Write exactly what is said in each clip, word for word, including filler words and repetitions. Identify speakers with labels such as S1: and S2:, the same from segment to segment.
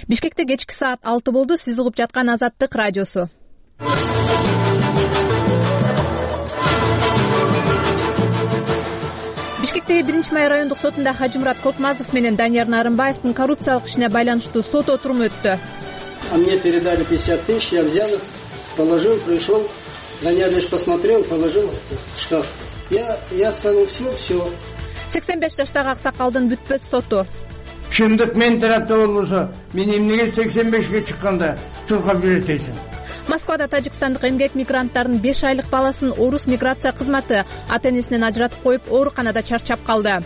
S1: Бишкекте кечки саат алты болду. Сиз угуп жаткан Азаттык радиосу. Бишкектеги биринчи май райондук сотунда Хажымурат Коркмазов менен Данияр Нарымбаевдин коррупциялык ишине байланыштуу сот отуруму өттү.
S2: А мне передали пятьдесят тысяч, я взял их, положил, пришел, Данияр лишь посмотрел, положил в шкаф. Я, я сказал, все, все.
S1: сексен беш жаштагы аксакалдын бүтпөс соту.
S3: Чындык мен тарапта болбосо, мен эмнеге сексен бешке чыкканда туркап жүрөт дейсиң?
S1: Москвада тажикстандык эмгек мигранттарынын беш айлык баласын орус миграция кызматы ата-энесинен ажыратып коюп, ооруканада чарчап калды.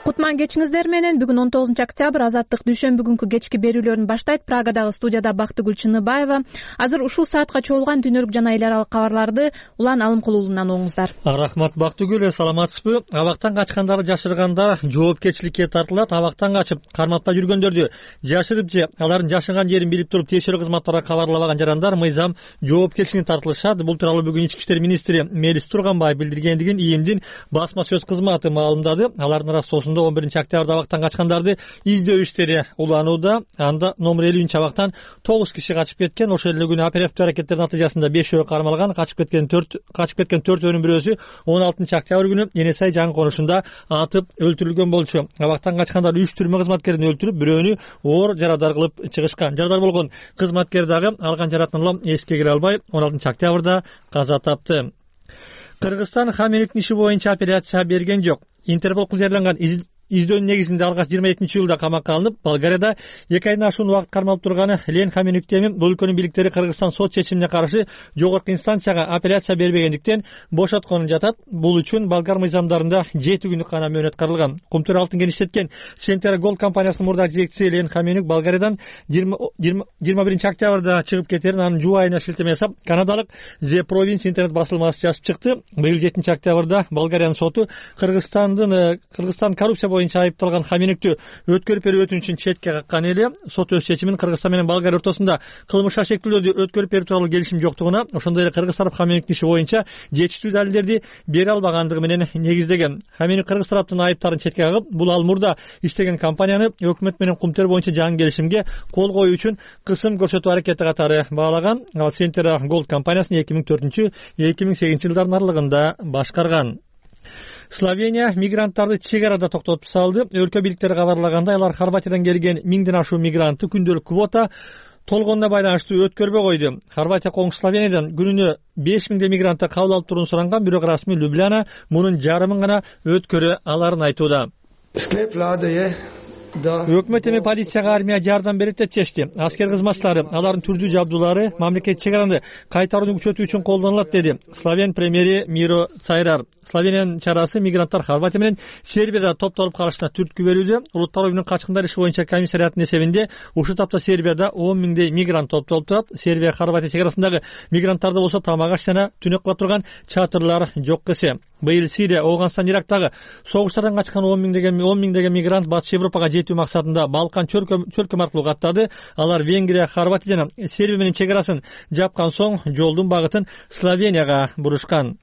S1: Кутман кечиңиздер менен. Бүгүн он тогузунчу октябрь, Азаттык дүйшөмбү күнкү кечки берүүлөрүн баштайт. Прагадагы студияда Бактыгүл Чыныбаева. Азыр ушул саатка чогулган дүйнөлүк жана эл аралык кабарларды Улан Алымкулуулунан оңуңуздар.
S4: Рахмат Бактыгүл, саламатсызбы? Абактан качкандарды жашыргандар жоопкерчиликке тартылат. Абактан качып карматпай жүргөндөрдү жашырып же алардын жашаган жерин билип туруп тиешелүү кызматтарга кабарлабаган жарандар мыйзам жоопкерчилигине тартылышат. Бул тууралуу бүгүн Ички иштер министри Мелис Турганбаев билдиргендигин ИИМдин басма сөз кызматы маалымдады. Алардын арасында он биринчи октябрда абактан качкандарды издөө иштери уланууда. Анда номер элүүнчү абактан тогуз киши качып кеткен. Ошол эле күнү оперативдүү аракеттердин натыйжасында бешөө кармалган. Качып кеткен төрт качып кеткен төртөөнүн бирөөсү он алтынчы октябрь күнү Эне Сай жаңы конушунда атып өлтүрүлгөн болчу. Абактан качкандар үч түрмө кызматкерин өлтүрүп, бирөөнү оор жарадар кылып чыгышкан. Жарадар болгон кызматкер дагы алган жаратын улам эске кире албай он алтынчы октябрда каза тапты. Кыргызстан Хаменюктун иши боюнча апелляция берген жок. Интерпол кызырланган издөөнүн негизинде алгач жыйырма экинчи июлда камакка алынып, Болгарияда эки айдан ашуун убакыт кармалып турган Лен Хаменюк эми бул өлкөнүн бийликтери Кыргызстан сот чечимине каршы жогорку инстанцияга апелляция бербегендиктен бошотконун жатат. Бул үчүн болгар мыйзамдарында жети күндүк гана мөөнөт каралган. Кумтөр алтын кеништеткен Сентера Голд компаниясынын мурдагы жетекчиси Лен Хаменюк Болгариядан жыйырма биринчи октябрда чыгып кетерин анын жуба айына шилтеме жасап, канадалык The Province интернет басылмасы жазып чыкты. Быйыл жетинчи октябрда Болгариянын соту Кыргызстандын Кыргызстан коррупция боюнча айыпталган Хаменюктү өткөрүп берүү өтүнүчүн четке каккан эле. Сот өз чечимин Кыргызстан менен Болгария ортосунда кылмыш шектүүлөрдү өткөрүп берүү тууралуу келишим жоктугуна, ошондой эле Кыргыз тарап Хаменюктун иши боюнча жетиштүү далилдерди бере албагандыгы менен негиздеген. Хаменюк Кыргыз тараптын айыптарын четке кагып, бул ал мурда иштеген компанияны өкмөт менен кумтөр боюнча жаңы келишимге кол коюу үчүн кысым көрсөтүү аракети катары баалаган. Ал Сентера Голд компаниясын эки миң төртүнчү эки миң сегизинчи жылдардын аралыгында башкарган. Словения мигранттарды чек арада токтотуп салды. Өлкө бийликтери кабарлагандай, алар Хорватиядан келген миңден ашуун мигрантты күндөлүк квота толгонуна байланыштуу өткөрбөй койду. Хорватия коңшу Словениядан күнүнө беш миңдей мигрантты кабыл алып туруун суранган, бирок расмий Любляна мунун жарымын гана өткөрө аларын айтууда. Өкмөт эми полицияга армия жардам берет деп чечти. Аскер кызматчылары алардын түрдүү жабдуулары мамлекет чек араны кайтарууну күчөтүү үчүн колдонулат, деди Словен премьери Миро Цайрар. Словениянын чарасы мигранттар Хорватия менен Сербияда топтолуп калышына түрткү берүүдө. Улуттар оюнунун качкындар иши боюнча комиссариятынын эсебинде ушул тапта Сербияда он миңдей мигрант топтолуп турат. Сербия Хорватия чек арасындагы мигранттарды болсо тамак аш жана түнөк кыла турган чатырлар жок эсе. Быйыл Сирия, Афганистан, Ирактагы согуштардан качкан он миңдеген он миңдеген мигрант Батыш Европага жетүү максатында Балкан чөлкөм аркылуу каттады. Алар Венгрия, Хорватия жана Сербия менен чек арасын жапкан соң жолдун багытын Словенияга бурушкан.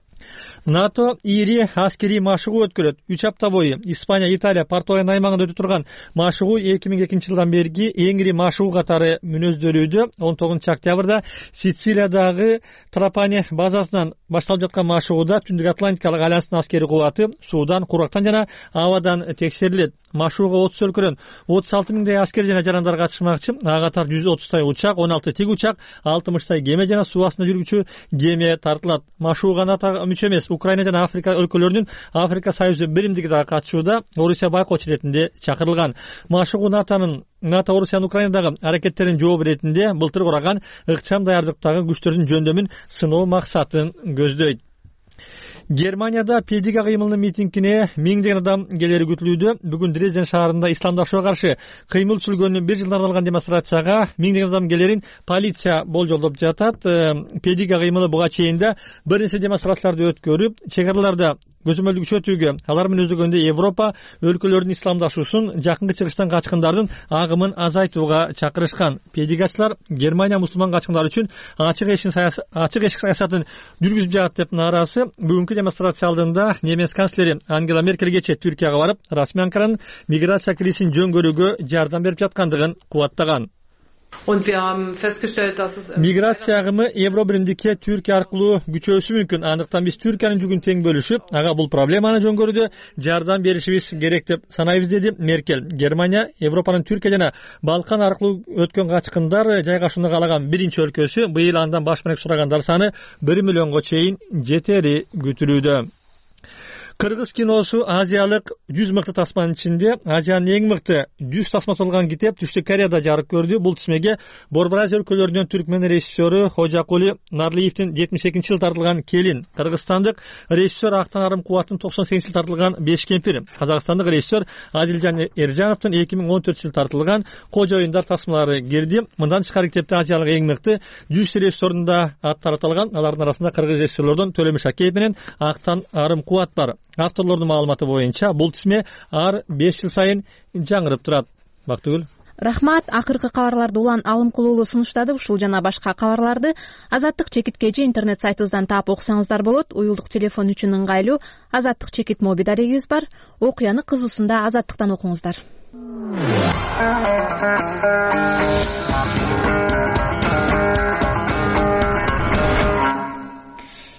S4: НАТО ири аскерий машыгуу өткөрөт. үч апта бою Испания, Италия, Португалиянын аймагында өтүп турган машыгуу эки миң экинчи жылдан берги эң ири машыгуу катары мүнөздөлүүдө. он тогузунчу октябрда Сицилиядагы Трапани базасынан башталып жаткан машыгууда Түндүк Атлантикалык альянстын аскери кубаты суудан, курактан жана абадан текшерилет. Машыгууга отуз өлкөдөн отуз алты миңдей аскер жана жарандар катышмакчы. Ага катар жүз отуздай учак, он алты тик учак, алтымыштай кеме жана суу астында жүргүчү кеме тартылат. Машыгууга НАТО мүчө эмес Украина жана Африка өлкөлөрүнүн Африка Союзу биримдиги дагы катышууда. Орусия байкоочу иретинде чакырылган. Машыгуу НАТОнун НАТО Орусиянын Украинадагы аракеттерин жооп иретинде былтыр кураган ыкчам даярдыктагы күчтөрдүн жөндөмүн сыноо максатын көздөйт. Германияда Педига кыймылынын митингине миңдеген адам келери күтүлүүдө. Бүгүн Дрезден шаарында исламдашууга каршы кыймыл түзүлгөнүнүн бир жылына арналган демонстрацияга миңдеген адам келерин полиция болжолдоп жатат. Педига кыймылы буга чейин да бир нече демонстрацияларды өткөрүп, чек араларда көзөмөлдү күчөтүүгө, алар менен өздөгөндө Европа өлкөлөрүнүн исламдашуусун, жакынкы чыгыштан качкындардын агымын азайтууга чакырышкан. Педигатчылар Германия мусулман качкындар үчүн ачык эшик ачык эшик саясатын жүргүзүп жатат деп нааразы. Бүгүнкү демонстрация алдында немец канцлери Ангела Меркель кечээ Түркияга барып, расмий Анкаранын миграция кризисин жөн көрүүгө жардам берип жаткандыгын кубаттаган. Миграция агымы Евро биримдикке Түркия аркылуу күчөөсү мүмкүн. Андыктан биз Түркиянын жүгүн тең бөлүшүп, ага бул проблеманы жөн көрүүдө жардам беришибиз керек деп санайбыз, деди Меркель. Германия Европанын Түркия жана Балкан аркылуу өткөн качкындар жайгашууну каалаган биринчи өлкөсү. Быйыл андан баш бармак сурагандар саны бир миллионго чейин жетери күтүлүүдө. Кыргыз киносу азиялык жүз мыкты тасманын ичинде Азиянын эң мыкты жүз тасмасы болгон китеп Түштүк Кореяда жарык көрдү. Бул тизмеге Борбор Азия өлкөлөрүнөн Түркмен режиссеру Хожакули Нарлиевдин жетимиш экинчи жылы тартылган Келин, кыргызстандык режиссер Актан Арым Кубаттын токсон сегизинчи жылы тартылган Беш кемпир, казакстандык режиссер Адилжан Эржановдун эки миң он төртүнчү жылы тартылган Кожо оюндар тасмалары кирди. Мындан тышкары китепте азиялык эң мыкты жүз режиссердун да аттары аталган. Алардын арасында кыргыз режиссерлордон Төлөмүш Акеев менен Актан Арым Кубат бар. Авторлордун маалыматы боюнча бул тизме ар беш жыл сайын жаңырып турат. Бактыгүл.
S1: Рахмат. Акыркы кабарларды Улан Алымкулуулу сунуштады. Ушул жана башка кабарларды Азаттык чекит кежи интернет сайтыбыздан таап окусаңыздар болот. Уюлдук телефон үчүн ыңгайлуу Азаттык чекит моби дарегибиз бар. Окуяны кызуусунда Азаттыктан окуңуздар.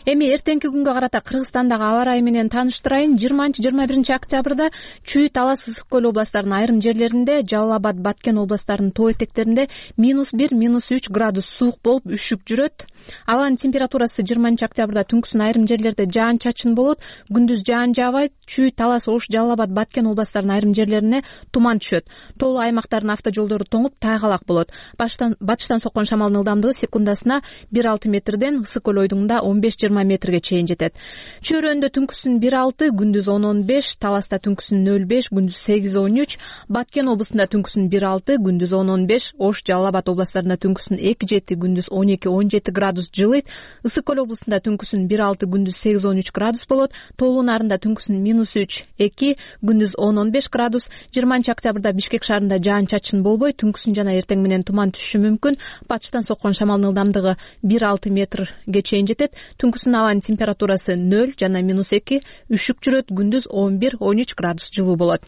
S1: Эми эртеңки күнгө карата Кыргызстандагы аба ырайы менен тааныштырайын. жыйырманчы жыйырма биринчи октябрда Чүй, Талас, Ысык көл областарынын айрым жерлеринде, Жалал Абад, Баткен областарынын тоо этектеринде минус бир, минус үч градус суук болуп үшүк жүрөт. Абанын температурасы жыйырманчы октябрда түнкүсүн айрым жерлерде жаан-чачын болот, күндүз жаан жаабайт. Чүй, Талас, Ош, Жалал Абад, Баткен областарынын айрым жерлерине туман түшөт. Тоолуу аймактардын автожолдору тоңуп, тайгалак болот. Батыштан соккон шамалдын ылдамдыгы секундасына бир алты метрден Ысык көл ойдуңунда он беш жыйырма метрге чейин жетет. Чөйрөндө түнкүсүн бир алты, күндүз он он беш, Таласта түнкүсүн нөл беш, күндүз сегиз он үч, Баткен областында түнкүсүн бир алты, күндүз он он беш, Ош, Жалал Абад областарында түнкүсүн эки жети, күндүз он эки он жети градус жылыйт. Ысык көл областында түнкүсүн бир алты, күндүз сегиз он үч градус болот. Тоолуу нарында түнкүсүн минус үч эки, күндүз он он беш градус. жыйырманчы октябрда Бишкек шаарында жаан-чачын болбой, түнкүсүн жана эртең менен туман түшүшү мүмкүн. Батыштан соккон шамалдын ылдамдыгы бир алты метрге чейин жетет. Түнкүсүн абанын температурасы нөл жана минус эки, үшүк жүрөт, күндүз он бир он үч градус жылуу болот.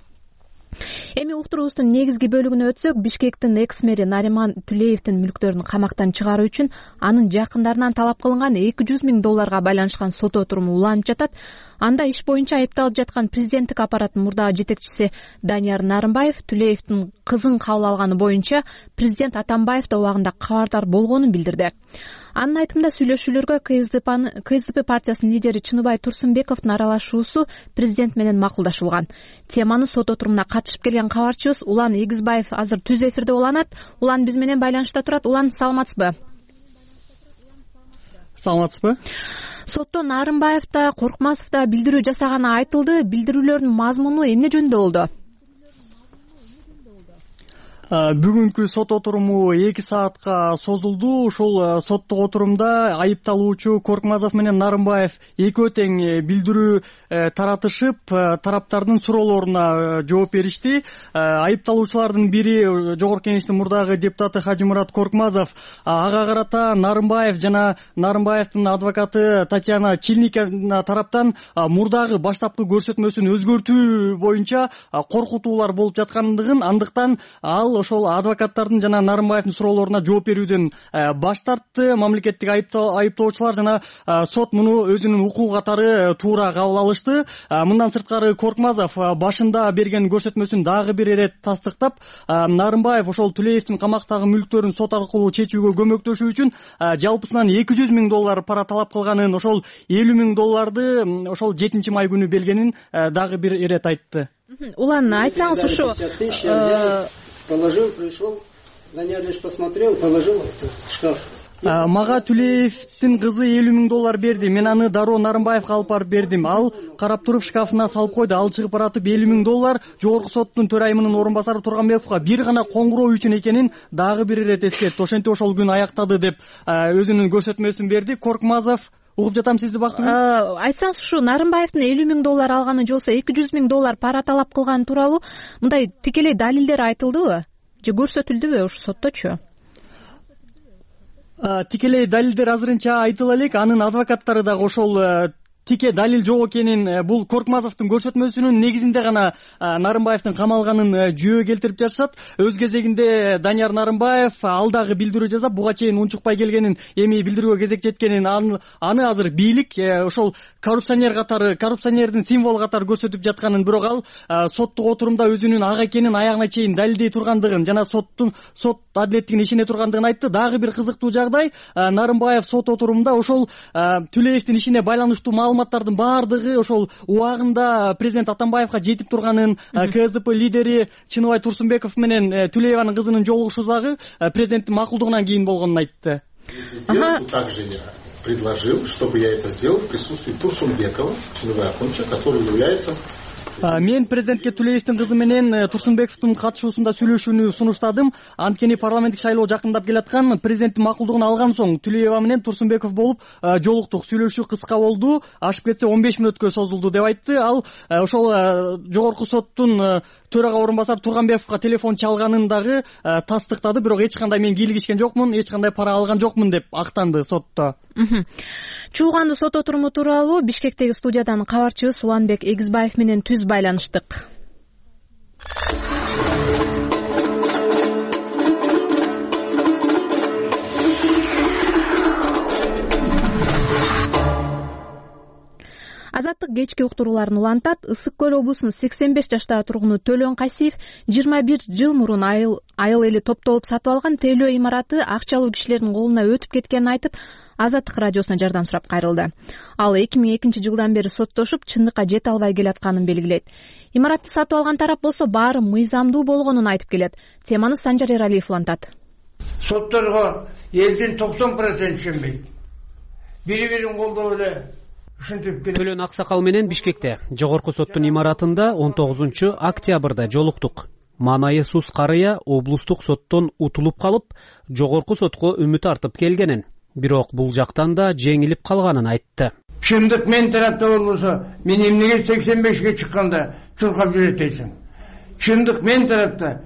S1: Эми уктуруубуздун негизги бөлүгүнө өтсөк, Бишкектин экс-мэри Нариман Түлеевдин мүлктөрүн камактан чыгаруу үчүн анын жакындарынан талап кылынган эки жүз миң долларга байланышкан сот отуруму уланып жатат. Анда иш боюнча айыпталып жаткан президенттик аппараттын мурдагы жетекчиси Данияр Нарымбаев Түлеевдин кызын кабыл алганы боюнча президент Атамбаев да убагында кабардар болгонун билдирди. Анын айтымында сүйлөшүүлөргө КСДП партиясынын лидери Чыныбай Турсунбековдун аралашуусу президент менен макулдашылган. Теманы сот отурумуна катышып келген кабарчыбыз Улан Эгизбаев азыр түз эфирде уланат. Улан биз менен байланышта турат. Улан, саламатсызбы?
S5: Саламатсызбы?
S1: Сотто Нарымбаев да, Коркмазов да билдирүү жасаганы айтылды. Билдирүүлөрдүн мазмуну эмне жөнүндө болду?
S5: Бүгүнкү сот отуруму эки саатка созулду. Ушул соттук отурумда айыпталуучу Коркмазов менен Нарымбаев экөө тең билдирүү таратышып, тараптардын суроолоруна жооп беришти. Айыпталуучулардын бири Жогорку Кеңештин мурдагы депутаты Хажымурат Коркмазов. Ага карата Нарымбаев жана Нарымбаевдин адвокаты Татьяна Чильникова тараптан мурдагы баштапкы көрсөтмөсүн өзгөртүү боюнча коркутуулар болуп жаткандыгын, андыктан ал ошол адвокаттардын жана Нарымбаевдин суроолоруна жооп берүүдөн баш тартты. Мамлекеттик айыптоочулар жана сот муну өзүнүн укугу катары туура кабыл алышты. Мындан сырткары Коркмазов башында берген көрсөтмөсүн дагы бир ирет тастыктап, Нарымбаев ошол Түлеевдин камактагы мүлктөрүн сот аркылуу чечүүгө көмөктөшүү үчүн жалпысынан эки жүз миң доллар пара талап кылганын, ошол элүү миң долларды ошол жетинчи май күнү бергенин дагы бир ирет айтты.
S1: Улан, айтсаңыз ушу
S2: положил, пришел, Данияр лишь посмотрел, положил в шкаф.
S5: Мага Түлеевдин кызы элүү миң доллар берди. Мен аны дароо Нарымбаевга алып барып бердим. Ал карап туруп шкафына салып койду. Ал чыгып баратып элүү миң доллар Жогорку соттун төрайымынын орун басары Турганбековго бир гана коңгуроо үчүн экенин дагы бир ирет эскертти. Ошентип ошол күн аяктады деп өзүнүн көрсөтмөсүн берди. Коркмазов угуп жатам сизди Бактыгүл.
S1: Айтсаңыз, ушу Нарымбаевдин элүү миң доллар алганы же болбосо эки жүз миң доллар пара талап кылганы тууралуу мындай тикелей далилдер айтылдыбы же көрсөтүлдүбү ушу сотточу?
S5: Тикелей далилдер азырынча айтыла элек, анын адвокаттары дагы ошол тике далил жок экенин, бул Коркмазовдун көрсөтмөсүнүн негизинде гана Нарымбаевдин камалганын жөө келтирип жатышат. Өз кезегинде Данияр Нарымбаев ал дагы билдирүү жасап, буга чейин унчукпай келгенин, эми билдирүүгө кезек жеткенин, аны азыр бийлик ошол коррупционер катары, коррупционердин символу катары көрсөтүп жатканын, бирок ал соттук отурумда өзүнүн ак экенин аягына чейин далилдей тургандыгын жана соттун сот адилеттигин ишене тургандыгын айтты. Дагы бир кызыктуу жагдай, Нарымбаев сот отурумда ошол Түлеевдин ишине байланыштуу маалыматтардын баардыгы ошол убагында президент Атамбаевга жетип турганын, КСДП лидери Чыныбай Турсунбеков менен Түлееванын кызынын жолугушуу дагы президенттин макулдугунан кийин болгонун айтты.
S6: Также я предложил, чтобы я это сделал в присутствии Турсунбекова, Чыныбай Акунча, который является...
S5: Мен президентке Түлеевдин кызы менен Турсунбековдун катышуусунда сүйлөшүүнү сунуштадым. Анткени парламенттик шайлоо жакындап келаткан, президенттин макулдугун алган соң Түлеева менен Турсунбеков болуп жолуктук. Сүйлөшүү кыска болду, ашып кетсе он беш мүнөткө созулду деп айтты. Ал ошол жогорку соттун төрага орун басары Турганбековго телефон чалганын дагы тастыктады, бирок эч кандай мен кийлигишкен жокмун, эч кандай пара алган жокмун деп актанды сотто.
S1: Чуулганды сот отуруму тууралуу Бишкектеги студиядан кабарчыбыз Уланбек Эгизбаев менен түз байланыштык. Азаттык кечки уктурууларын улантат. Ысык көл облусунун сексен беш жаштагы тургуну Төлөн Касиев жыйырма бир жыл мурун айыл айыл эли топтолуп сатып алган тейлөө имараты акчалуу кишилердин колуна өтүп кеткенин айтып, Азаттык радиосуна жардам сурап кайрылды. Ал эки миң экинчи жылдан бери соттошуп, чындыкка жете албай келатканын белгилейт. Имаратты сатып алган тарап болсо баары мыйзамдуу болгонун айтып келет. Теманы Санжар Эралиев улантат.
S3: Сотторго элдин токсон проценти ишенбейт. Бири-бирин колдоп эле
S7: Төлөн Аксакал менен Бишкекте жогорку соттун имаратында он тогузунчу октябрда жолуктук. Манайы Сус Карыя облустук соттон утулуп калып, жогорку сотко үмүт артып келгенин, бирок бул жактан да жеңилип калганын айтты.
S3: Чындык мен тарапта болбосо, мен эмнеге сексен бешке чыкканда чуркап жүрөт дейсиң. Чындык мен тарапта,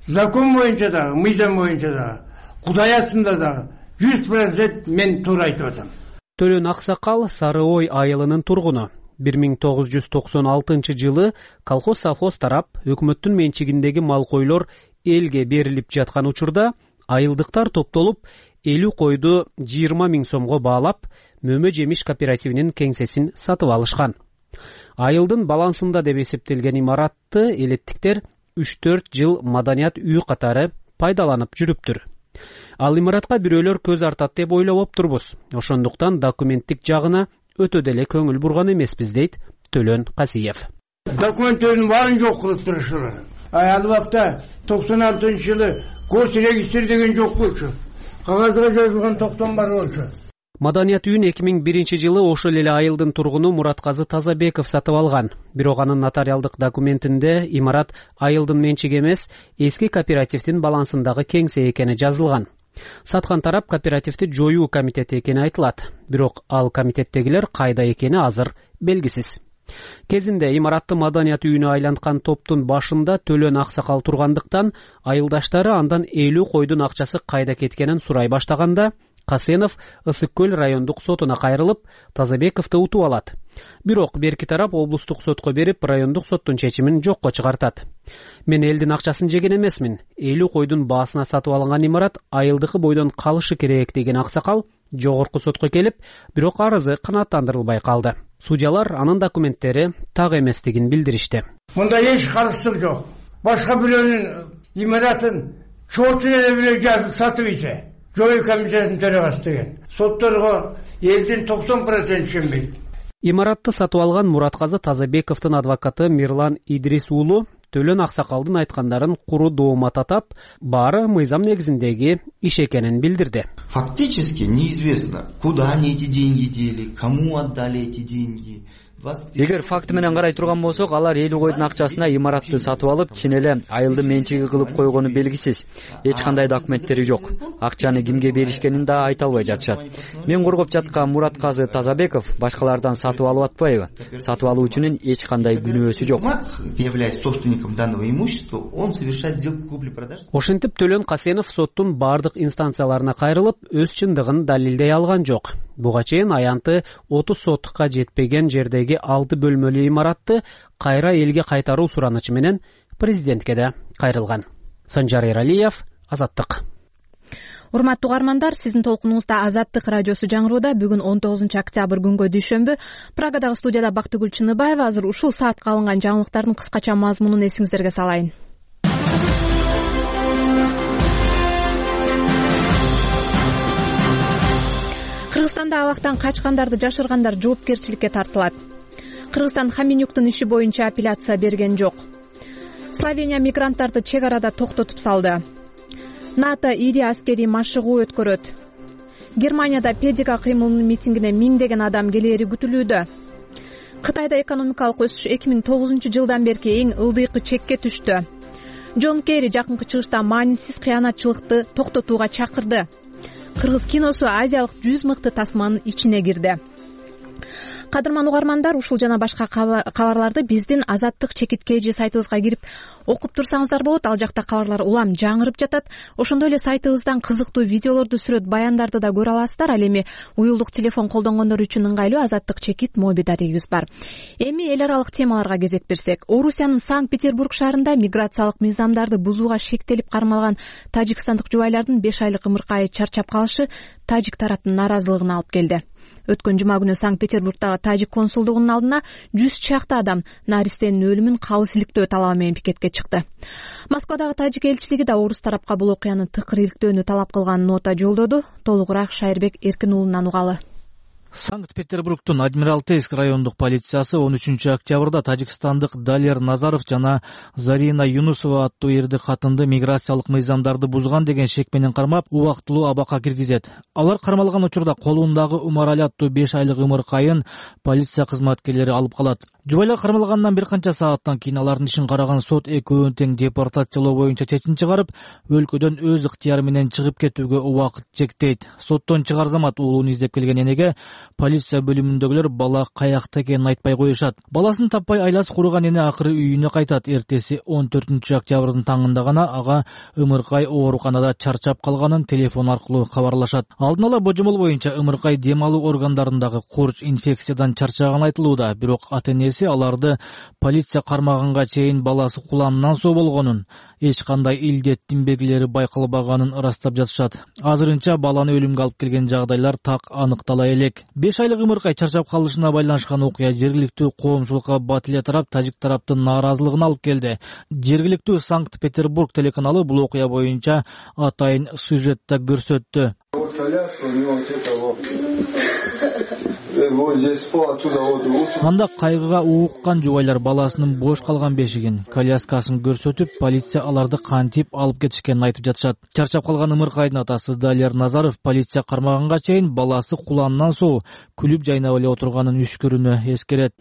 S3: закон боюнча дагы, мыйзам боюнча дагы, Кудай астында дагы жүз процент мен туура айтып атам.
S7: Төлөн Аксакал Сары Ой айылынын тургуну. бир миң тогуз жүз токсон алтынчы жылы колхоз-совхоз тарап өкмөттүн менчигиндеги мал койлор элге берилип жаткан учурда айылдыктар топтолуп элүү койду жыйырма миң сомго баалап, Мөмө жемиш кооперативинин кеңсесин сатып алышкан. Айылдын балансында деп эсептелген имаратты элеттиктер үч төрт жыл маданият үй катары пайдаланып жүрүптүр. Ал имаратка бирөөлөр көз артат деп ойлоп турбуз. Ошондуктан документтик жагына өтө деле көңүл бурган эмеспиз, дейт Төлөн Касиев.
S3: Документтердин баарын жок кылып турушулар. Ал убакта токсон алтынчы жылы гос регистр деген жок болчу. Кагазга жазылган токтон бар болчу.
S7: Маданият үйүн эки миң биринчи жылы ошол эле айылдын тургуну Муратказы Тазабеков сатып алган. Бирок анын нотариалдык документинде имарат айылдын менчиги эмес, эски кооперативдин балансындагы кеңсе экени жазылган. Саткан тарап кооперативди жоюу комитети экени айтылат. Бирок ал комитеттегилер кайда экени азыр белгисиз. Кезинде имаратты маданият үйүнө айланткан топтун башында Төлөн Аксакал тургандыктан айылдаштары андан элүү койдун акчасы кайда кеткенин сурай баштаганда, Касенов Ысык көл райондук сотуна кайрылып, Тазабековду утуп алат. Бирок берки тарап облустук сотко берип, райондук соттун чечимин жокко чыгартат. Мен элдин акчасын жеген эмесмин. элүү койдун баасына сатып алынган имарат айылдыкы бойдон калышы керек деген Аксакал жогорку сотко келип, бирок арызы канааттандырылбай калды. Судьялар анын документтери так эместигин билдиришти.
S3: Мында эч каршылык жок. Башка бирөөнүн имаратын чоочу эле бирөө жазып сатып ийсе, жоюу комитетинин төрагасы деген. Сотторго элдин токсон проценти ишенбейт.
S7: Имаратты сатып алган Муратказы Тазабековдун адвокаты Мирлан Идрис уулу Төлөн Аксакалдын айткандарын куру доoma татап, баары мыйзам негизиндеги иш экенин билдирди.
S8: Фактически неизвестно, куда они эти деньги дели, кому отдали эти деньги. Эгер факты менен карай турган болсок, алар элүү койдун акчасына имаратты сатып алып, чын эле айылдын менчиги кылып койгону белгисиз. Эч кандай документтери жок. Акчаны кимге беришкенин да айта албай жатышат. Мен коргоп жаткан Муратказы Тазабеков башкалардан сатып алып атпайбы? Сатып алуучунун эч кандай күнөөсү жок.
S9: Являясь собственником данного имущества, он совершает сделку купли-продажи.
S7: Ошентип Төлөн Касенов соттун бардык инстанцияларына кайрылып, өз чындыгын далилдей алган жок. Буга чейин аянты отуз сотукка жетпеген жердеги алты бөлмөлүү имаратты кайра элге кайтаруу суранычы менен президентке да кайрылган. Санжар Эралиев, Азаттык.
S1: Урматтуу угармандар, сиздин толкунуңузда Азаттык радиосу жаңырууда. Бүгүн он тогузунчу октябрь күнгө дүйшөмбү. Прагадагы студияда Бактыгүл Чыныбаева. Азыр ушул саатка алынган жаңылыктардын кыскача мазмунун эсиңиздерге салайын. Кыргызстанда абактан качкандарды жашыргандар жоопкерчиликке тартылат. Кыргызстан Хаминюктун иши боюнча апелляция берген жок. Словения мигранттарды чек арада токтотуп салды. НАТО ири аскерий машыгуу өткөрөт. Германияда педика кыймылынын митингине миңдеген адам келери күтүлүүдө. Кытайда экономикалык өсүш эки миң тогузунчу жылдан берки эң ылдыйкы чекке түштү. Джон Керри жакынкы чыгышта маанисиз кыянатчылыкты токтотууга чакырды. Кыргыз киносу азиялык жүз мыкты тасманын ичине кирди. Кадырман угармандар, ушул жана башка кабарларды биздин Азаттык чекит kg сайтыбызга кирип окуп турсаңыздар болот. Ал жакта кабарлар улам жаңырып жатат. Ошондой эле сайтыбыздан кызыктуу видеолорду, сүрөт баяндарды да көрө аласыздар. Ал эми уюлдук телефон колдонгондор үчүн ыңгайлуу Азаттык чекит моби дарегибиз бар. Эми эл аралык темаларга кезек берсек, Орусиянын Санкт-Петербург шаарында миграциялык мыйзамдарды бузууга шектелип кармалган тажикстандык жубайлардын беш айлык ымыркайы чарчап калышы тажик тараптын нааразылыгына алып келди. Өткөн жума күнү Санкт-Петербургдагы тажик консулдугунун алдына жүз чакты адам наристенин өлүмүн калыс иликтөө талабы менен пикетке чыкты. Москвадагы тажик элчилиги да орус тарапка бул окуяны тыкыр иликтөөнү талап кылган нота жолдоду. Толугураак Шайырбек Эркин уулунан угалы.
S10: Санкт-Петербургдун Адмиралтейск райондук полициясы он үчүнчү октябрда тажикстандык Далер Назаров жана Зарина Юнусова аттуу эрди катынды миграциялык мыйзамдарды бузган деген шек менен кармап, убактылуу абакка киргизет. Алар кармалган учурда колундагы Умарали аттуу беш айлык ымыркайын полиция кызматкерлери алып калат. Жубайлар кармалгандан бир канча сааттан кийин алардын ишин караган сот экөөнүн тең депортациялоо боюнча чечим чыгарып, өлкөдөн өз ыктыяры менен чыгып кетүүгө убакыт чектейт. Соттон чыгар замат уулун издеп келген энеге полиция бөлүмүндөгүлөр бала каякта экенин айтпай коюшат. Баласын таппай айласы куруган эне акыры үйүнө кайтат. Эртеси он төртүнчү октябрдын таңында гана ага ымыркай ооруканада чарчап калганын телефон аркылуу кабарлашат. Алдын ала божомол боюнча ымыркай дем алуу органдарындагы курч инфекциядан чарчаганы айтылууда, бирок ата-энеси аларды полиция кармаганга чейин баласы куланынан соо болгонун, эч кандай илдеттин белгилери байкалбаганын ырастап жатышат. Азырынча баланы өлүмгө алып келген жагдайлар так аныктала элек. беш айлык ымыркай чарчап калышына байланышкан окуя жергиликтүү коомчулукка бат эле тарап тажик тараптын нааразылыгын алып келди. Жергиликтүү Санкт-Петербург телеканалы бул окуя боюнча атайын сюжетте көрсөттү. Анда кайгыга ууккан жубайлар баласынын бош калган бешигин, коляскасын көрсөтүп, полиция аларды кантип алып кетишкенин айтып жатышат. Чарчап калган ымыркайдын атасы Далер Назаров полиция кармаганга чейин баласы куланынан соо, күлүп жайнап эле отурганын үшкүрүнө эскерет.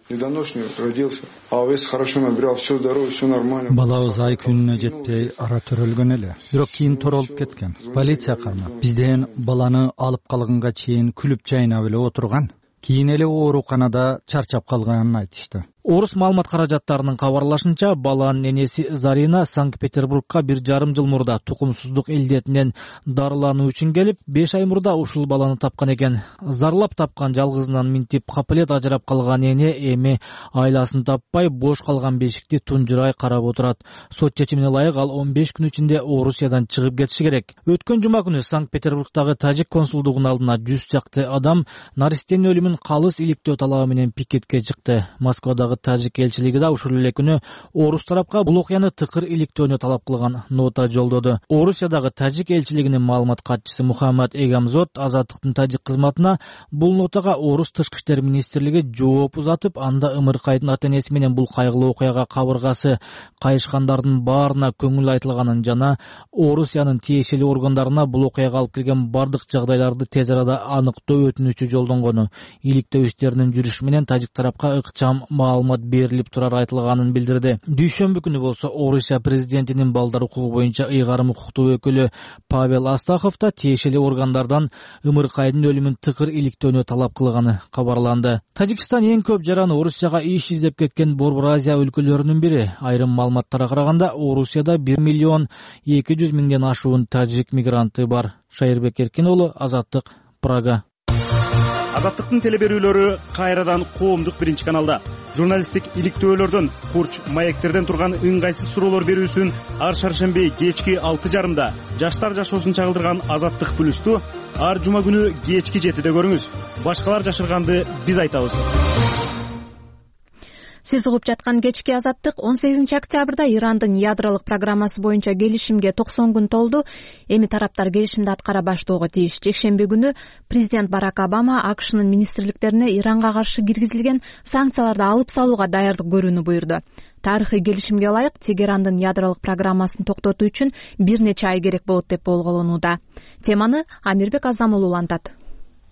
S11: Балабыз ай күнүнө жетпей ара төрөлгөн эле, бирок кийин торолуп кеткен. Полиция кармап бизден баланы алып калганга чейин күлүп жайнап эле отурган. Кийин эле ооруканада чарчап калганын айтышты.
S10: Орус маалымат каражаттарынын кабарлашынча, баланын энеси Зарина Санкт-Петербургка бир жарым жыл мурда тукумсуздук илдетинен дарылануу үчүн келип, беш ай мурда ушул баланы тапкан экен. Зарлап тапкан жалгызынан минтип капылет ажырап калган эне эми айласын таппай бош калган бешикти тунжурай карап отурат. Сот чечимине ылайык ал он беш күн ичинде Орусиядан чыгып кетиши керек. Өткөн жума күнү Санкт-Петербургдагы тажик консулдугунун алдына жүз чакты адам наристенин өлүмүн калыс иликтөө талабы менен пикетке чыкты. Москвадагы Орусиядагы тажик элчилиги да ушул эле күнү орус тарапка бул окуяны тыкыр иликтөөнү талап кылган нота жолдоду. Орусиядагы тажик элчилигинин маалымат катчысы Мухаммад Эгамзот Азаттыктын тажик кызматына бул нотага орус тышкы иштер министрлиги жооп узатып, анда Ымыркайдын ата-энеси менен бул кайгылуу окуяга кабыргасы кайышкандардын баарына көңүл айтылганын жана Орусиянын тиешелүү органдарына бул окуяга алып келген бардык жагдайларды тез арада аныктоо өтүнүчү жолдонгону, иликтөө иштеринин жүрүшү менен тажик тарапка ыкчам маалымат берилип турары айтылганын билдирди. Дүйшөмбү күнү болсо Орусия президентинин балдар укугу боюнча ыйгарым укуктуу өкүлү Павел Астахов да тиешелүү органдардан Ымыркайдын өлүмүн тыкыр иликтөөнү талап кылганы кабарланды. Тажикстан эң көп жараны Орусияга иш издеп кеткен Борбор Азия өлкөлөрүнүн бири. Айрым маалыматтарга караганда Орусияда бир миллион эки жүз миңден ашуун тажик мигранты бар. Шайырбек Эркин уулу, Азаттык, Прага.
S12: Азаттыктын телеберүүлөрү кайрадан коомдук биринчи каналда. Журналисттик иликтөөлөрдөн, курч маектерден турган ыңгайсыз суроолор берүүсүн ар шаршемби кечки алты жарымда жаштар жашоосун чагылдырган Азаттык плюсту ар жума күнү кечки жетиде көрүңүз. Башкалар жашырганды биз айтабыз.
S1: Сиз угуп жаткан кечки Азаттык он сегизинчи октябрда Ирандын ядролук программасы боюнча келишимге токсон күн толду. Эми тараптар келишимди аткара баштоого тийиш. Жекшемби күнү президент Барак Обама АКШнын министрликтерине Иранга каршы киргизилген санкцияларды алып салууга даярдык көрүүнү буйрду. Тарыхый келишимге ылайык Тегерандын ядролук программасын токтотуу үчүн бир нече ай керек болот деп болголонууда. Теманы Амирбек Азам улантат.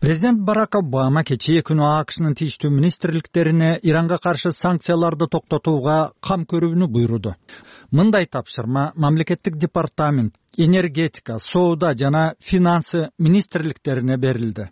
S11: Президент Барак Обама кечээ күнү АКШнын тийиштүү министрликтерине Иранга каршы санкцияларды токтотууга кам көрүүнү буйруду. Мындай тапшырма мамлекеттик департамент, энергетика, соода жана финансы министрликтерине берилди.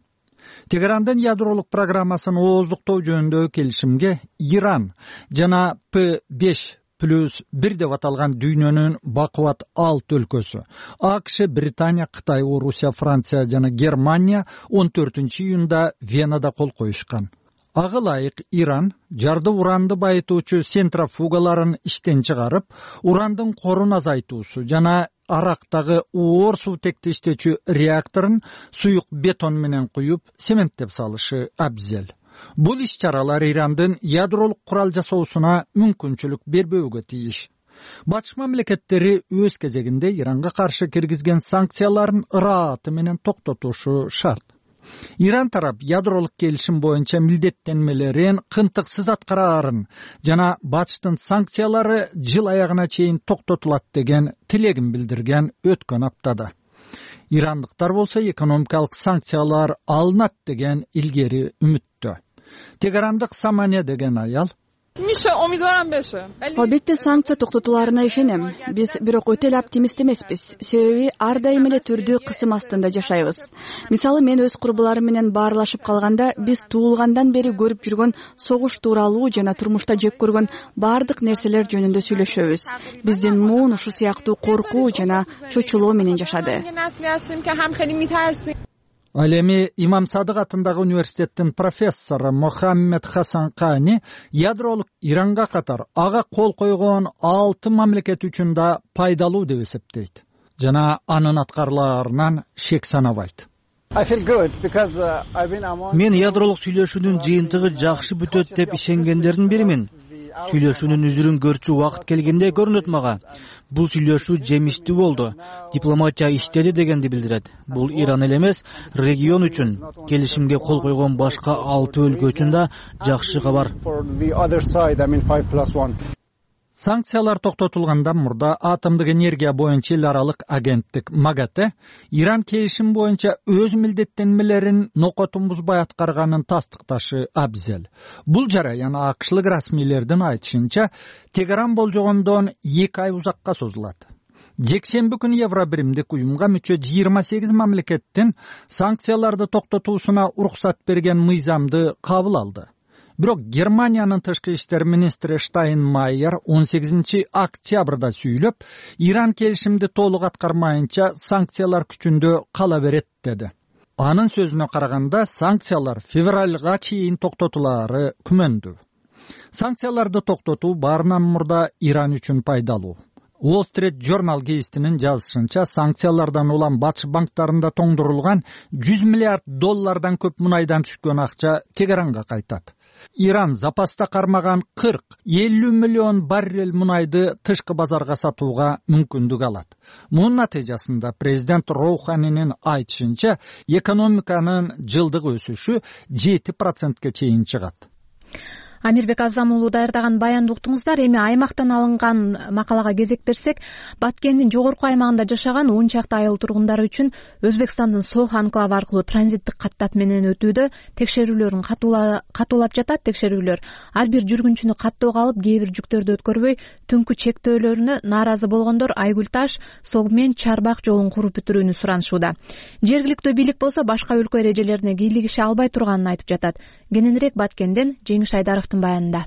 S11: Тегерандын ядролук программасын ооздуктоо жөнүндөгү келишимге Иран жана П беш плюс бир деп аталган дүйнөнүн бакубат алты өлкөсү АКШ, Британия, Кытай, Орусия, Франция жана Германия он төртүнчү июнда Венада кол коюшкан. Ага ылайык Иран жарды уранды байытуучу центрофугаларын иштен чыгарып, урандын корун азайтуусу жана Арактагы оор суутекти иштечү реакторун суюк бетон менен куюп, цементтеп салышы абзел. Бул иш-чаралар Ирандын ядролук курал жасоосуна мүмкүнчүлүк бербөөгө тийиш. Батыш мамлекеттери өз кезегинде Иранга каршы киргизген санкцияларын ырааты менен токтотушу шарт. Иран тарап ядролук келишим боюнча милдеттенмелерин кынтыксыз аткарарын жана Батыштын санкциялары жыл аягына чейин токтотулат деген тилегин билдирген өткөн аптада. Ирандыктар болсо экономикалык санкциялар алынат деген илгери үмүттө. Тегерандык Самане деген аял
S13: Албетте санкция токтотуларына ишенем. Биз бирок өтө эле оптимист эмеспиз. Себеби ар дайым эле түрдүү кысым астында жашайбыз. Мисалы, мен өз курбуларым менен баарлашып калганда биз туулгандан бери көрүп жүргөн согуш тууралуу жана турмушта жек көргөн баардык нерселер жөнүндө сүйлөшөбүз. Биздин муун ушу сыяктуу коркуу жана чочулоо менен жашады.
S11: Ал эми Имам Садык атындагы университеттин профессору Мохаммед Хасан Кани ядролук Иранга катар ага кол койгон алты мамлекет үчүн да пайдалуу деп эсептейт жана анын аткарылаарынан шек санабайт.
S10: Мен ядролук сүйлөшүүнүн жыйынтыгы жакшы бүтөт деп ишенгендердин биримин. Сүйлөшүүнүн үзүрүн көрчү убакыт келгенде көрүнөт мага. Бул сүйлөшүү жемиштүү болду. Дипломатия иштеди дегенди билдирет. Бул Иран эле эмес, регион үчүн, келишимге кол койгон башка алты өлкө үчүн да жакшы кабар.
S11: Санкциялар токтотулгандан мурда атомдук энергия боюнча эл аралык агенттик МАГАТЭ Иран келишим боюнча өз милдеттенмелерин нокотун бузбай аткарганын тастыкташы абзел. Бул жараян акшлык расмийлердин айтышынча Тегеран болжогондон эки ай узакка созулат. Жекшемби күнү Евробиримдик уюмга мүчө жыйырма сегиз мамлекеттин санкцияларды токтотуусуна уруксат берген мыйзамды кабыл алды. Бирок Германиянын тышкы иштер министри Штайнмайер он сегизинчи октябрда сүйлөп, Иран келишимди толук аткармайынча санкциялар күчүндө кала берет деди. Анын сөзүнө караганда санкциялар февралга чейин токтотулаары күмөндүү. Санкцияларды токтотуу баарынан мурда Иран үчүн пайдалуу. Wall Street Journal гезитинин жазышынча санкциялардан улам батыш банктарында тоңдурулган жүз миллиард доллардан көп мунайдан түшкөн акча Тегеранга кайтат. Иран запаста кармаган кырк элүү миллион баррель мунайды тышкы базарга сатууга мүмкүндүк алат. Мунун натыйжасында президент Роуханинин айтышынча экономиканын жылдык өсүшү жети процентке чейин чыгат.
S1: Амирбек Азам уулу даярдаган баянды уктуңуздар. Эми аймактан алынган макалага кезек берсек, Баткендин жогорку аймагында жашаган он чакты айыл тургундары үчүн Өзбекстандын Сох анклавы аркылуу транзиттик каттап менен өтүүдө текшерүүлөрүн катуулап жатат. Текшерүүлөр ар бир жүргүнчүнү каттоого алып, кээ бир жүктөрдү өткөрбөй, түнкү чектөөлөрүнө нааразы болгондор Айгүл Таш, Согмен, Чарбак жолун куруп бүтүрүүнү суранышууда. Жергиликтүү бийлик болсо башка өлкө эрежелерине кийлигише албай турганын айтып жатат. Кененирээк Баткенден Жеңиш Айдаровдун баянында.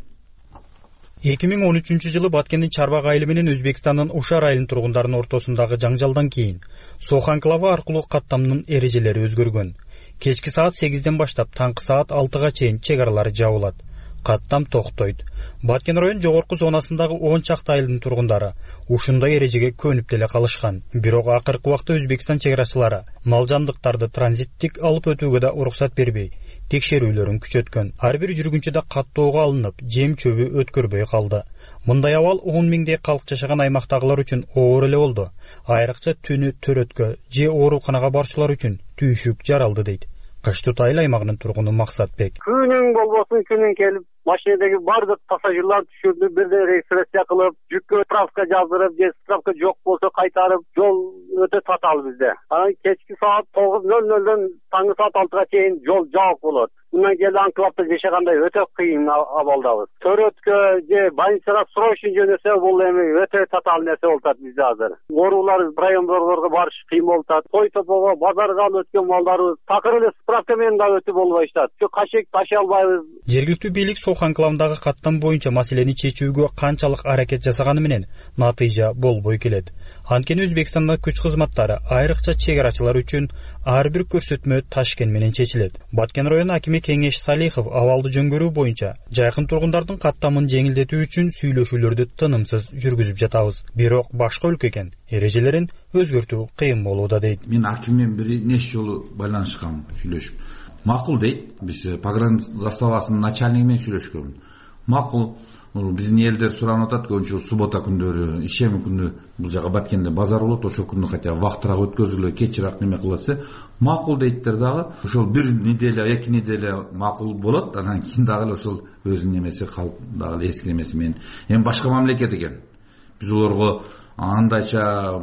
S14: эки миң он үчүнчү жылы Баткендин Чарбак айылы менен Өзбекстандын Ушар айылын тургундарынын ортосундагы жаңжалдан кийин Сох анклавы аркылуу каттамдын эрежелери өзгөргөн. Кечки саат сегизден баштап таңкы саат алтыга чейин чек аралары жабылат. Каттам токтойт. Баткен район жогорку зонасындагы он чакты айылдын тургундары ушундай эрежеге көнүп деле калышкан. Бирок акыркы убакта Өзбекстан чек арачылары мал жандыктарды транзиттик алып өтүүгө да уруксат бербей, текшерүүлөрүн күчөткөн. Ар бир жүргүнчү да каттоого алынып, жем чөбү өткөрбөй калды. Мындай абал он миңдей калк жашаган аймактагылар үчүн оор эле болду. Айрыкча түнү төрөткө же ооруканага барчулар үчүн түйшүк жаралды дейт Кыш Тут айыл аймагынын тургуну Максатбек.
S15: Күнүң болбосун, күнүң келип, машинедеги бардык пассажирлар түшүрүп, бирде регистрация кылып, жүккө справка жаздырып, же справка жок болсо кайтарып, жол өтө татаал бизде. Анан кечки саат тогуз нөл нөлдөн таңкы саат алтыга чейин жол жабык болот. Мындан кийин анклавда жашагандай өтө кыйын абалдабыз. Төрөткө же больницага срочно жөнөсө, бул эми өтө татаал нерсе болуп атат бизде азыр. Оорулар райондорго барыш кыйын болуп атат. Той топого, базарга алып өткөн малдарыбыз такыр эле справка менен да өтүп болбой атат. Жок кашек ташый албайбыз.
S14: Жергиликтүү бийлик Сох анклавындагы каттам боюнча маселени чечүүгө канчалык аракет жасаганы менен натыйжа болбой келет. Анткени Өзбекстандын күч кызматтары айрыкча чек арачылар үчүн ар бир көрсөтмө Ташкент менен чечилет. Баткен району акими Кеңеш Салихов абалды жөнгөрүү боюнча жайкын тургундардын каттамын жеңилдетүү үчүн сүйлөшүүлөрдү тынымсыз жүргүзүп жатабыз. Бирок башка өлкө экен, эрежелерин өзгөртүү кыйын болууда дейт.
S16: Мен аким менен бир нече жолу байланышкам, сүйлөшүп. Макул дейт. Биз погран заставасынын начальниги менен сүйлөшкөнбүз. Макул. Биздин элдер суранып атат, көбүнчө суббота күндөрү, ишемби күнү бул жака Баткенде базар болот, ошол күнү хотя вактыраак өткөзүлө, кечирээк неме кылса, макул дейттер дагы. Ошол бир неделя, эки неделя макул болот, анан кийин дагы ошол өзүнүн немеси калып дагы эски немеси менен. Эми башка мамлекет экен. Биз олорго андайча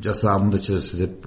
S16: жаса, мындайча жаса деп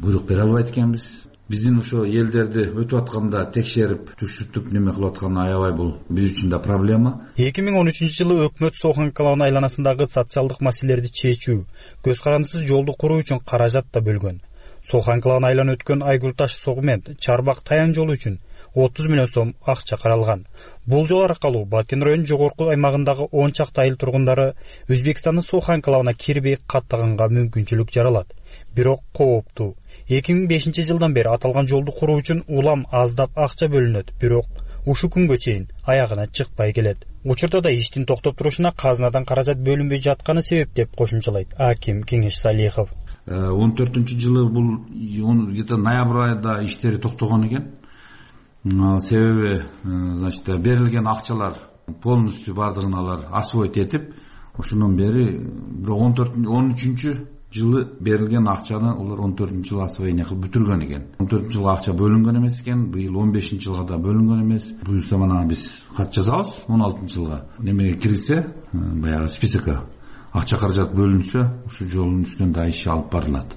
S16: буйрук бере албайт экенбиз. Биздин ошо элдерди өтүп атканда текшерип, түшүтүп неме кылып атканы аябай бул биз үчүн да проблема.
S14: эки миң он үчүнчү жылы өкмөт Сох анклавынын айланасындагы социалдык маселелерди чечүү, көз карандысыз жолду куруу үчүн каражат да бөлгөн. Сох анклавын айлана өткөн Айгүл Таш Согмен Чарбак Таян жолу үчүн отуз миллион сом акча каралган. Бул жол аркылуу Баткен районунун жогорку аймагындагы он чакты айыл тургундары Өзбекстандын Сох анклавына кирбей каттаганга мүмкүнчүлүк жаралат. Бирок кооптуу. эки миң бешинчи жылдан бери аталган жолду куруу үчүн улам аздап акча бөлүнөт, бирок ушу күнгө чейин аягына чыкпай келет. Учурда да иштин токтоп турушуна казынадан каражат бөлүнбөй жатканы себеп деп кошумчалайт аким Кеңеш Салихов.
S16: он төртүнчү жылы бул где-то ноябрь айында иштери токтогон экен. Себеби, значит, берилген акчалар полностью бардыгын алар освоить этип, ошондон бери он төртүнчү он үчүнчү жылы берилген акчаны улар он төртүнчү жылы освоение кылып бүтүргөн экен. он төртүнчү жылы акча бөлүнгөн эмес экен, быйыл он бешинчи жылга да бөлүнгөн эмес. Буюрса мана биз кат жазабыз он алтынчы жылга. Немеге кирсе, баягы списокко акча каражат бөлүнсө, ушу жолдун үстүнөн да иш алып барылат.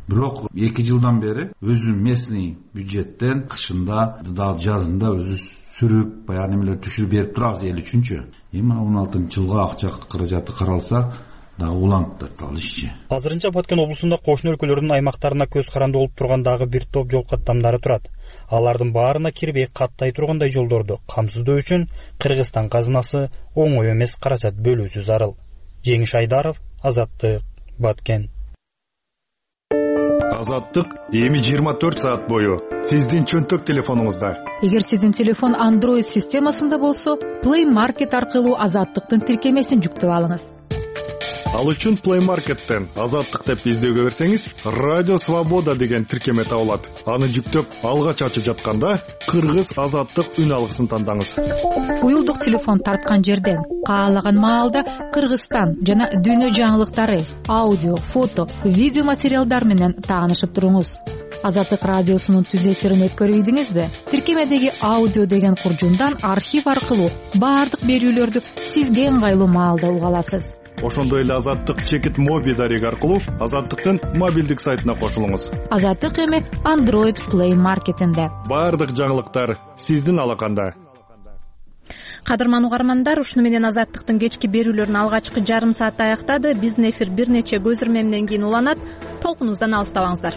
S16: Бирок эки жылдан бери өзү местный бюджеттен кышында да жазында өзү сүрүп, баягы немелер түшүрүп берип турабыз эл үчүнчү. Эми он алтынчы жылга акча каражаты каралса, да уланып тартал ишчи.
S14: Азырынча Баткен облусунда кошуна өлкөлөрдүн аймактарына көз каранды болуп турган дагы бир топ жол каттамдары турат. Алардын баарына кирбей каттай тургандай жолдорду камсыздоо үчүн Кыргызстан казынасы оңой эмес каражат бөлүүсү зарыл. Жеңиш Айдаров, Азаттык, Баткен.
S12: Азаттык эми жыйырма төрт саат бою сиздин чөнтөк телефонуңузда.
S17: Эгер сиздин телефон Android системасында болсо, Play Market аркылуу Азаттыктын тиркемесин жүктөп алыңыз.
S18: Ал үчүн Play Market'тен Азаттык деп издөөгө берсеңиз, Радио Свобода деген тиркеме табылат. Аны жүктөп, алгач ачып жатканда Кыргыз Азаттык үн алгысын тандаңыз.
S17: Уюлдук телефон тарткан жерден каалаган маалда Кыргызстан жана дүйнө жаңылыктары, аудио, фото, видео материалдар менен таанышып туруңуз. Азаттык радиосунун түз эфирин өткөрүп ийдиңизби? Тиркемедеги аудио деген куржундан архив аркылуу баардык берүүлөрдү сизге ыңгайлуу маалда уга аласыз.
S18: Ошондой эле Азаттык чекит моби дареги аркылуу Азаттыктын мобилдик сайтына кошулуңуз.
S17: Азаттык эми Android Play Market'инде.
S18: Баардык жаңылыктар сиздин алаканда.
S1: Кадырман угармандар, ушуну менен Азаттыктын кечки берүүлөрүн алгачкы жарым саатта аяктады. Биздин эфир бир нече көзүрмө менен кийин уланат. Толкунубуздан алыстабаңыздар.